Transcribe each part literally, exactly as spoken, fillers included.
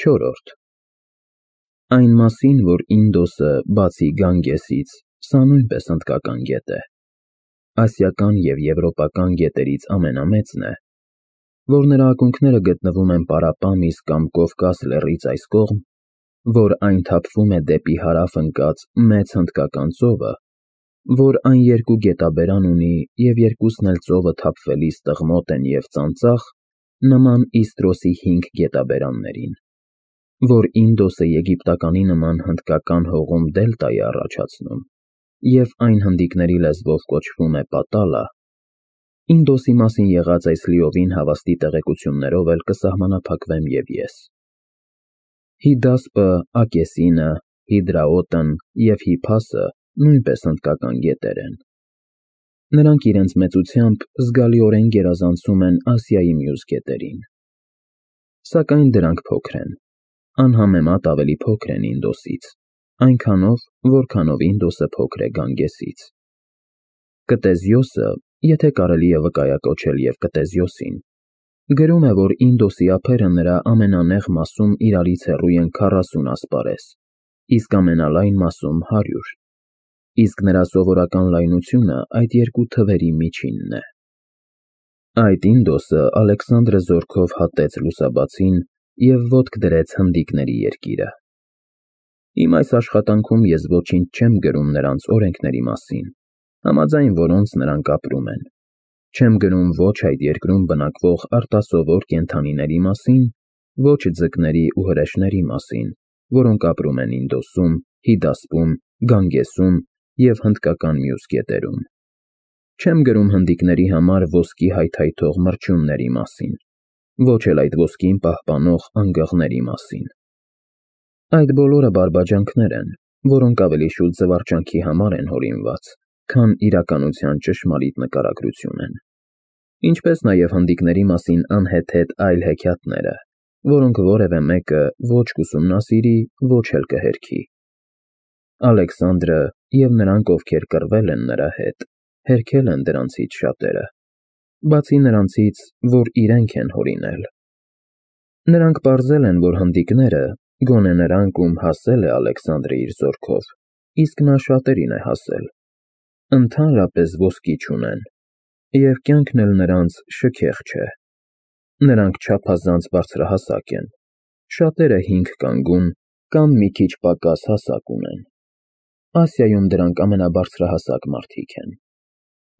Չորրորդ Այն մասին, որ Ինդոսը, բացի Գանգեսից, սա նույնպես հնդկական գետ է, ասիական և եվրոպական գետերից ամենամեծն է, որ նրա ակունքները գտնվում են Պարապամիս կամ Կովկաս լեռից այս կողմ, որ այն թափվում է դեպի հարավ ընկած Մեծ Հնդկական ծովը, որ այն երկու գետաբերան ունի և երկուսն էլ ծովը թափվելիս տղմոտ են և ծանծաղ, նման Իստրոսի հինգ գետաբերաններին, որ Ինդոսը եգիպտականի նման հնդկական հողում դելտա է առաջացնում, և այն հնդիկների լեզվով կոչվում է Պատալա, Ինդոսի մասին եղած այս լիովին հավաստի տեղեկություններով էլ կսահմանափակվեմ և ես։ Հիդասպը, Ակեսինը, Հիդրաոտն և Հիփասը նույնպես հնդկական գետեր են։ Նրանք իրենց մեծությամբ զգալիորեն գերազանցում են Ասիայի մյուս գետերին։ Սակայն դրանք փոքր են, անհամեմատ ավելի փոքր են Ինդոսից, այնքանով, որքանով Ինդոսը փոքր է Գանգեսից։ Կտեզիոսը, եթե կարելի է վկայակոչել և Կտեզիոսին, գրում է, որ Ինդոսի ափերը նրա ամենանեղ մասում իրարից հեռու են քառասուն ասպարեզ, իսկ ամենալայն մասում հարյուր, իսկ նրա սովորական լայնությունը այդ երկու թվերի միջինն է։ Այդ Ինդոսը Ալեքսանդրը զորքով հատեց լուսաբացին և ոտք դրեց հնդիկների երկիրը։ Իմ այս աշխատանքում ես ոչինչ չեմ գրում նրանց օրենքների մասին, համաձայն որոնց նրանք ապրում են, չեմ գրում ոչ այդ երկրում բնակվող արտասովոր կենդանիների մասին, ոչ ձկների ու հրեշների մասին, որոնք ապրում են Ինդոսում, Հիդասպում, Գանգեսում և հնդկական մյուս գետերում, չեմ գրում հնդիկների համար ոսկի հայթայթող մրջյունների մասին, ոչ էլ այդ ոսկին պահպանող անգղների մասին։ Այդ բոլորը բարբաջանքներ են, որոնք ավելի շուտ զվարճանքի համար են հորինված, քան իրականության ճշմարիտ նկարագրություն են, ինչպես նաև հնդիկների մասին անհեթեթ այլ հեքիաթները, որոնք որևէ մեկը ոչ կուսումնասիրի, ոչ էլ կհերքի։ Ալեքսանդրը և նրանք, ովքեր կռվել են նրա հետ, հերքել են դրանցից շատերը, բացի նրանցից, որ իրենք են հորինել։ Նրանք պարզել են, որ հնդիկները, գոնե նրանք, ում հասել է Ալեքսանդրը իր զորքով, իսկ նա շատերին է հասել, ընդհանրապես ոսկի չունեն, և կյանքն էլ նրանց շքեղ չէ։ Նրանք չափազանց բարձրահասակ են, շատերը հինգ կանգուն կամ մի քիչ պակաս հասակ ունեն։ Ասիայում դրանք ամենաբարձրահասակ մարդիկ են։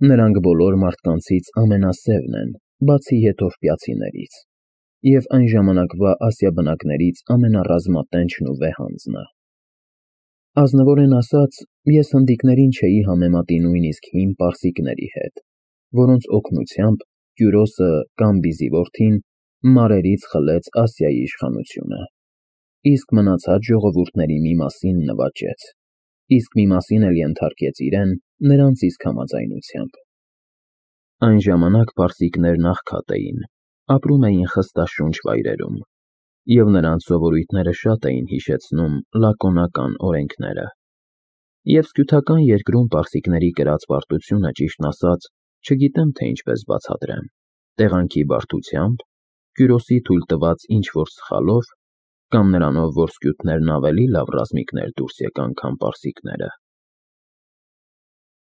Նրանք բոլոր մարդկանցից ամենասևն են, բացի եթովպիացիներից, և այն ժամանակվա ասիաբնակներից ամենառազմատենչն ու վեհանձնը։ Ազնվորեն ասած, ես հնդիկներին չէի համեմատի նույնիսկ հին պարսիկների հետ, որոնց օգնությամբ Կյուրոսը Կամբիզի որդին մարերից խլեց Ասիայի իշխանությունը, իսկ մնացած ժողովուրդների մի մասին նվաճեց, իսկ մի մասին էլ ենթարկեց իրեն նրանց իսկ համաձայնությամբ։ Այն ժամանակ պարսիկներն աղքատ էին, ապրում էին խստաշունչ վայրերում, և նրանց սովորույթները շատ էին հիշեցնում լակոնական օրենքները։ Եվ սկյութական երկրում պարսիկների կրած պարտությունը, ճիշտն ասած, չգիտեմ, թե ինչպես բացատրեմ, տեղանքի բարդությամբ, Կյուրոսի թույլ տված ինչ-որ սխալով, կամ նրանով, որ սկյութներն ավելի լավ ռազմիկներ դուրս եկան, քան պարսիկները։